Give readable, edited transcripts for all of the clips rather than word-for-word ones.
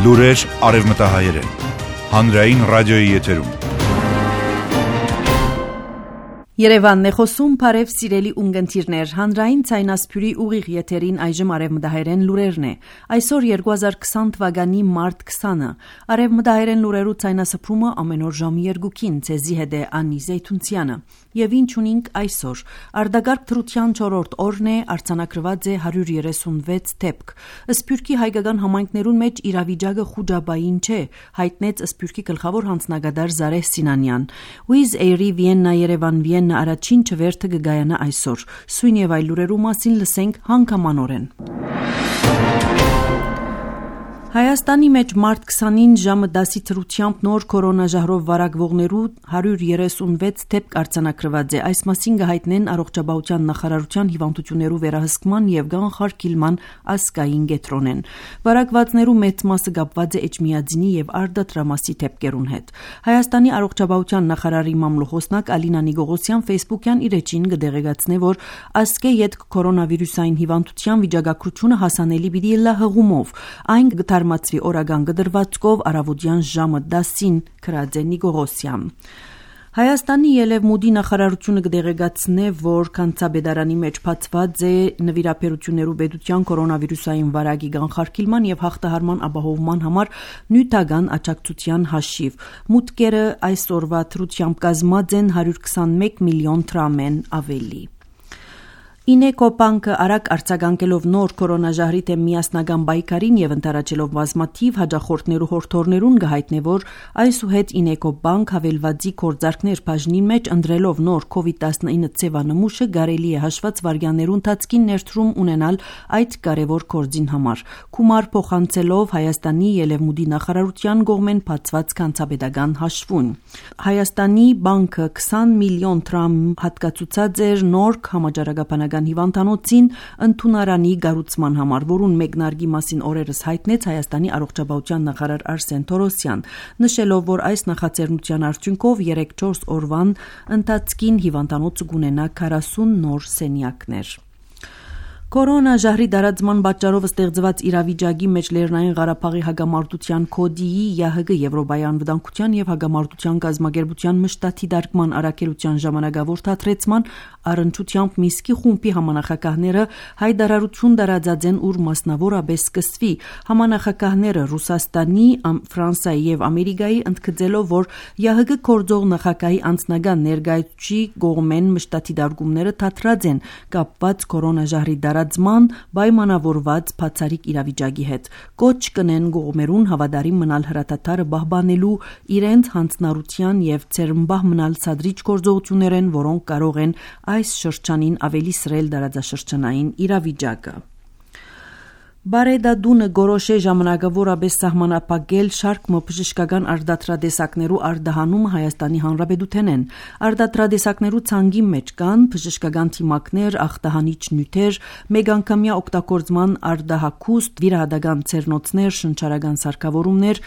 Լուրեր արևմտահայերեն։ Հանրային ռադիոյի եթերում։ Երևանն է խոսում, բարև սիրելի ունգընտիրներ, հանրային ցայնասփյուրի ուղիղ եթերին այժմ արևմտահայերեն լուրերն է։ Այսօր 2020 թվականի մարտ 20-ը։ Արևմտահայերեն լուրերու ցայնասփրումը ամեն օր ժամի 2-ին ցեզի հետ է Անի Զեյթունցյանը։ Եվ ինչ ունենք այսօր։ Արտագարկ թրության 4-րդ օրն է, արձանագրված է 136 դեպք։ Սփյուռքի հայկական համայնքներուն մեջ իրավիճակը խուճապային չէ, հայտնեց Սփյուռքի գլխավոր հանձնագետար Զարեհ Սինանյան։ Wizz Air-ի Վիեննա Երևան Վիեննա առաջին չվերթը կգայանա այսօր։ Սույն եւ այլ լուրերու մասին լսենք հանգամանորեն։ Հայաստանի մեջ մարտ 20-ին ժամը 10-ի թրությամբ նոր կորոնաժահրով վարակվողներու 136 դեպք արձանագրված է։ Այս մասին կհայտնեն առողջապահության նախարարության հիվանդություններու վերահսկման եւ կանխարգելման ազգային կենտրոնեն։ Վարակվածներու մեծ մասը կապված է էջմիածինի եւ արդատրամասի դեպքերուն հետ։ Հայաստանի առողջապահության նախարարի մամլոխոսնակ Ալինա Նիգողոսյան Facebook-յան իր էջին կդեղեկացնե, որ ազգե յետք կորոնավիրուսային հիվանդության վիճակագրությունը հասանելի պիտի լա հղումով։ Այն Արմացվի օրական գդրվածքով առավոտյան ժամը 10-ին քրաձե Նիգողոսյան։ Հայաստանի Ելևմուդի նախարարությունը կդեղեկացնե, որ կանցաբեդարանի մեջ բացված է նվիրաբերություններու պետության կորոնավիրուսային վարակի կանխարգելման եւ հաղթահարման ապահովման համար նյութական աջակցության հաշիվ։ Մուտքերը այսօրվա թրությամբ կազմած են 121 միլիոն դրամեն ավելի։ Ինեկոբանկը արագ արձագանքելով նոր կորոնաժահրի դեմ միասնական պայքարին եւ ընտարաճելով բազմաթիվ հաջախորդներու հորդորներուն կհայտնե, որ այսուհետ Ինեկոբանկ հավելվածի կորձարկներ բաժնի մեջ ընտրելով նոր COVID-19 ծեվանմուշը կարելի է հաշված վարյաներու ընթացքին ներդրում ունենալ այդ կարևոր կորձին համար։ Կումար փոխանցելով Հայաստանի Ելևմուդի նախարարության կողմեն բացված կանցաբեդական հաշվուն։ Հայաստանի բանկը 20 միլիոն դրամ հատկացուցած էր նոր համաճարակաբանական հիվանդանոցին ընդունարանի գառուցման համար, որուն մեկնարկի մասին օրերս հայտնեց Հայաստանի առողջապահության նախարար Արսեն Թորոսյան, նշելով, որ այս նախաձեռնության արդյունքով 3-4 օրվան ընթացքին հիվանդանոցը կունենա 40 նոր սենյակներ։ Կորոնաժահրի դարածման պատճառով ստեղծված իրավիճակի մեջ Լեռնային Ղարաբաղի հագամարտության կոդիի ԵՀԳ Եվրոպայի անվտանգության եւ հագամարտության կազմակերպության մշտաթիդարկման առաքելության ժամանակավոր թատրեցման առընչությամբ Միսկի խումբի համանախագահները հայտարարություն տարածած են, ուր մասնավորապես սկսվի համանախագահները Ռուսաստանի, Ֆրանսիայի եւ Ամերիկայի ընդգծելով, որ ԵՀԳ կորձող նախագահի անձնական ներկայացուցիչի կողմեն մշտաթիդարկումները թատրած են կապված կորոնաժահրի դարածման պայմանավորված բացառիկ իրավիճակի հետ։ Կոչ կնեն կողմերուն հավատարիմ մնալ հրատատարը պահպանելու իրենց հանձնառության եւ ցերմբահ մնալ ցածրիչ գործողություններեն, որոնք կարող են այս շրջանին ավելի սրել դարաձաշրջանային իրավիճակը։ Բարեդադունը գորոշե ժամանակավորապես սահմանապակել շարք բժշկական արդատրադեսակներու արդահանումը Հայաստանի Հանրապետութենեն։ Արդատրադեսակներու ցանկի մեջ կան բժշկական թիմակներ, ախտահանիչ նյութեր, մեգանգամյա օգտագործման արդահակուստ, վիրահատական ցերնոցներ, շնչարական սարքավորումներ,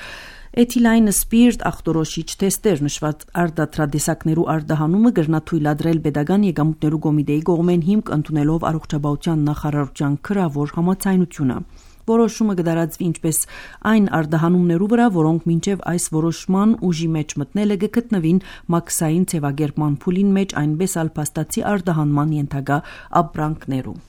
Էթիլայն սպիրտ ախտորոշիչ թեստեր նշված արդատրադեսակներու արդահանումը կրնաթույլատրել պետական եկամուտներու կոմիտեի կողմեն հիմք ընդունելով առողջապահության նախարարության քրավոր համաձայնությունը։ Որոշումը կդարածվի ինչպես այն արդահանումներու վրա, որոնք մինչև այս որոշման ուժի մեջ մտնելը կգտնվին մաքսային ցևագերման փուլին մեջ, այնպես ալ փաստացի արդահանման ենթակա ապրանքներու։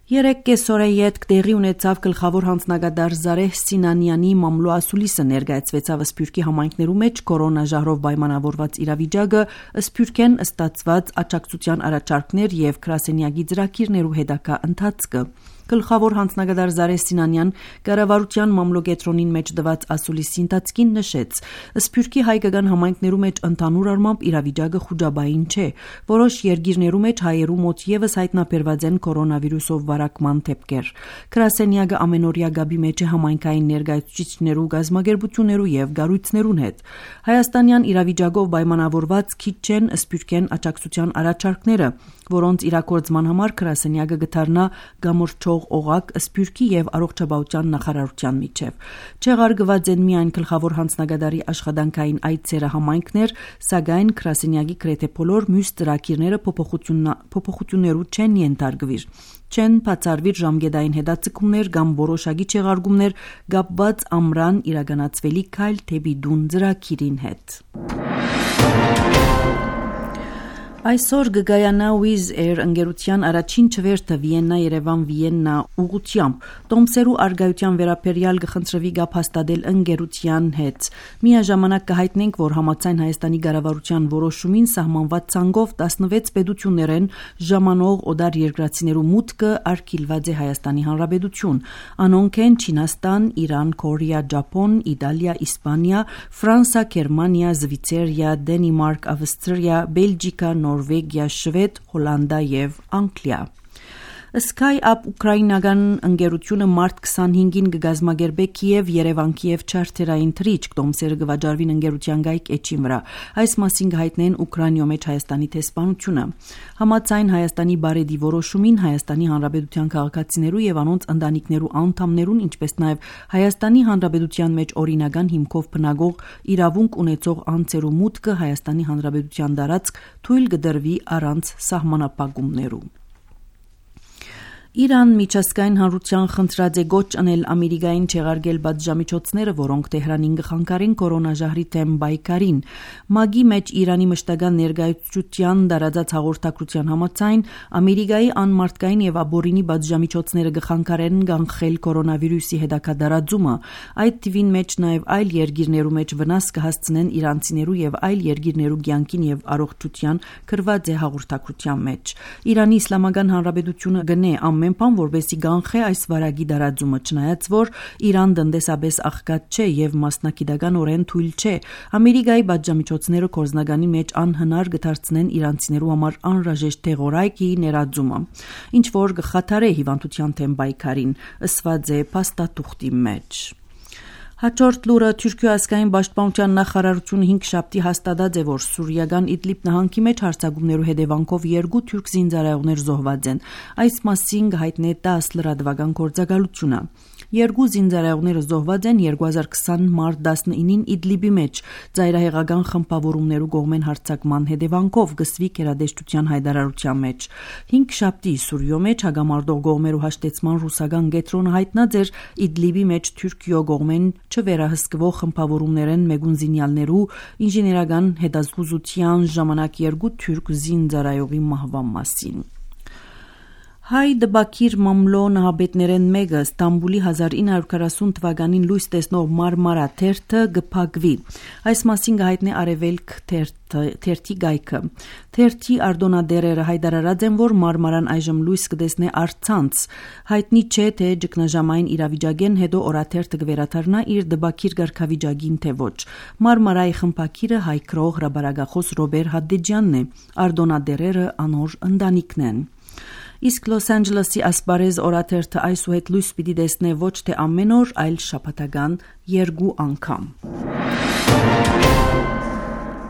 Երեք կեսօրե ետք տեղի ունեցավ գլխավոր հանձնագետար Զարեհ Սինանյանի մամլո ասուլիսը ներկայացվեցավ Սփյուռքի համայնքներու մեջ կորոնաժահրով պայմանավորված իրավիճակը, Սփյուռքեն ստացված աջակցության առաջարկներ եւ գրասենյակի ծրագիրներու հետագա ընթացքը։ Գլխավոր հանձնագետար Զարեհ Սինանյան կառավարության մամլոկետրոնին մեջ տված ասուլիսի ընթացքին նշեց. Սփյուռքի հայկական համայնքներու մեջ ընդհանուր առմամբ իրավիճակը խուճապային չէ։ Որոշ երկիրներու մեջ հայերու մոտ եւս հայտնաբերված են կորոնավիրուսով վարակման դեպքեր։ Գրասենյակը ամենօրյա գաբի մեջ է համայնքային ներկայացուցիչներու, գազམ་ագերբություններու եւ գառույցներուն հետ։ Հայաստանյան իրավիճակով պայմանավորված քիչ չեն Սփյուռքեն աջակցության առաջարկները, որոնց իրակորձման համար գրասենյակը գտարնա գամորչող կապող օղակ Սփյուռքի եւ առողջապահության նախարարության միջև։ Չեղարկված են միայն գլխավոր հանձնագետարի աշխատանքային այցերը համայնքներ, սակայն Կրասենյակի գրեթե բոլոր մյուս ծրագիրները փոփոխություններու չեն ենթարկվիր։ Չեն բացառվիր ժամկետային հետաձգումներ կամ որոշակի չեղարկումներ կապված ամռան իրականացվելի քայլ դեպի դուն ծրագիրին հետ։ Այսօր գգայանա Wizz Air ընկերության առաջին չվերթը Վիեննա-Երևան-Վիեննա ուղղությամբ տոմսերու արգայության վերաբերյալ կխնդրվի գապ հաստատել ընկերության հետ։ Միաժամանակ կհայտնենք, որ համաձայն Հայաստանի կառավարության որոշումին սահմանված ցանկով 16 պետություններեն ժամանող օդար երկրացիներու մուտքը արգելված է Հայաստանի Հանրապետություն։ Անոնք են Չինաստան, Իրան, Կորեա, Ճապոն, Իտալիա, Իսպանիա, Ֆրանսիա, Գերմանիա, Զվիցերիա, Դենմարկ, Ավստրիա, Բելգիկա, Նորվեգիա, Շվեդ, Հոլանդիա եւ Անգլիա։ SkyUp ուկրաինական ընկերությունը մարտ 25-ին կգազմագերբե Կիև-Երևան-Կիև չարտերային թռիչք տոմսերը կվաճառվին ընկերության գայք էջին վրա։ Այս մասին կհայտնեն Ուկրաինայում մեջ Հայաստանի տեսփանությունը։ Համաձայն Հայաստանի բարեդի որոշումին Հայաստանի Հանրապետության քաղաքացիներու եւ անոնց ընտանիքներու անդամներուն, ինչպես նաեւ Հայաստանի Հանրապետության մեջ օրինական հիմքով բնակող իրավունք ունեցող անձերու մուտքը Հայաստանի Հանրապետության դարածք թույլ կդրվի առանց սահմանապահումներու։ Իրան միջազգային հանրության խնդրած է գոչ անել Ամերիկային չեղարկել պատժամիջոցները, որոնք Թեհրանին կխանգարեն կորոնաժահրի թեմ բայկարին։ ՄԱԳ-ի մեջ Իրանի մշտական ներկայացության դարածած հաղորդակցության համաձայն Ամերիկայի անմարտկային եւ աբորինի պատժամիջոցները կխանգարեն կանխել կորոնավիրուսի հետագա դարածումը։ Այդ թվին մեջ նաեւ այլ երկիրներու մեջ վնաս կհասցնեն իրանցիներու եւ այլ երկիրներու կյանքին եւ առողջության գրված է հաղորդակցության մեջ։ Իրանի Իսլամական Հանրապետությունը գնե ամեն բան որպեսզի կանխե այս վարակի դարածումը, չնայած որ Իրան տնտեսապես աղքատ չէ եւ մասնակիտականորեն թույլ չէ։ Ամերիկայի պատժամիջոցները կորզնականի մեջ անհնար կդարձնեն իրանցիներու համար անհրաժեշտ թեղորայքի ներածումը, ինչ որ կխաթարե հիվանդության թեմ բայկարին, ըսված է փաստաթուղթի մեջ։ Հաջորդ լուրը Թուրքիա ազգային պաշտպանության նախարարությունը 5 շաբթի հաստատած է, որ Սուրիական Իդլիբ նահանգի մեջ հարձակումներու հետևանքով 2 թուրք զինծառայողներ զոհված են։ Այս մասին հայտնի 10 լրատվական գործակալությունը։ 2 զինծառայողները զոհված են 2020 մարտ 19-ին Իդլիբի մեջ ծայրահեղական խմբավորումներու կողմեն հարձակման հետևանքով գսվի կերադեշտության հայտարարության մեջ։ 5 շաբթի Սուրիո մեջ հագամարտող կողմերու հաշտեցման ռուսական գետրոնը հայտնած էր Իդլիբի մեջ Թուրքիո կողմեն չվերահսկվող խմբավորումներեն մեգուն զինյալներու ինժեներական հետազգուզության ժամանակ 2 թուրք զինծառայողի մահվան մասին։ Հայ դբակիր մամլո նահաբետներեն մեկը Ստամբուլի 1940 թվականին լույս տեսնող Մարմարա թերթը գփակվի։ Այս մասին կհայտնի Արևելք թերթի գայքը։ Թերթի արտոնադերերը հայտարարած են, որ Մարմարան այժմ լույս կտեսնի առցանց։ Հայտնի չէ, թե ճգնաժամային իրավիճակեն հետո օրաթերթը կվերադառնա իր դբակիր ղարքավիճակին թե ոչ։ Մարմարայի խմբակիրը հայ գրող հրաբարակախոս Ռոբեր Հադդեջյանն է։ Արտոնադերերը անոր ընտանիքն են։ Իսկ Լոս Անջելեսի ասպարեզ օրաթերթը այսուհետ լույս պիտի տեսնե ոչ թե ամեն օր, այլ շաբաթական 2 անգամ։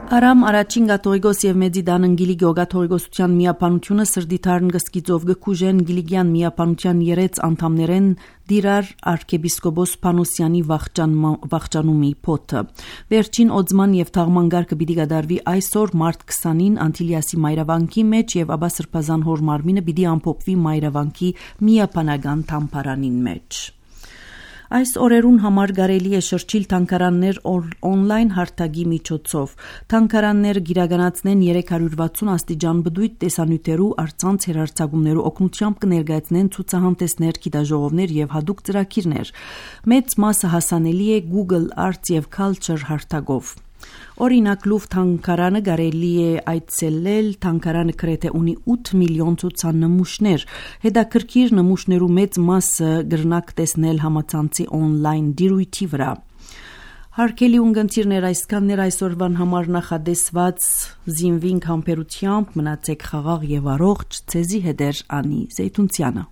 Արամ առաջին գաթողիկոս եւ մեծի դանընգիլի գոգաթողիկոսության միապանությունը սրդիթարն գսկիծով գկուժեն գիլիգյան միապանության 3 անդամներեն դիրար arczepiskopos Փանոսյանի վախճանումի փոթը։ Վերջին օծման եւ թաղման գարկը պիտի կատարվի այսօր մարտ 20-ին Անտիլիասի մայրավանքի մեջ եւ ապա Սրբազան հոր մարմինը պիտի ամփոփվի մայրավանքի միապանական թամփարանին մեջ։ Այս օրերուն համար կարելի է շրջիլ թանգարաններ օնլայն հարթակի միջոցով։ Թանգարանները գիրականացնեն 360 աստիճան բդույթ տեսանյութերու առցանց հերարցակումներու օգնությամբ կներկայացնեն ցուցահանդեսներ, գիտաժողովներ եւ հատուկ ծրագիրներ։ Մեծ մասը հասանելի է Google Arts եւ Culture հարթակով։ Օրինակ Լուվ թանգարանը կարելի է այցելել, թանգարանը գրեթե ունի 8 միլիոն ցուցանմուշներ, հետաքրքիր նմուշներու մեծ մասը գրնակ տեսնել համացանցի օնլայն դիրույթի վրա։ Հարկելի ունգընտիրներ այսքաններ այսօրվան համար նախադեսված զինվինք համբերությամբ, մնացեք խաղաղ եւ առողջ, ցեզի հետեր Անի Զեյթունցյանը։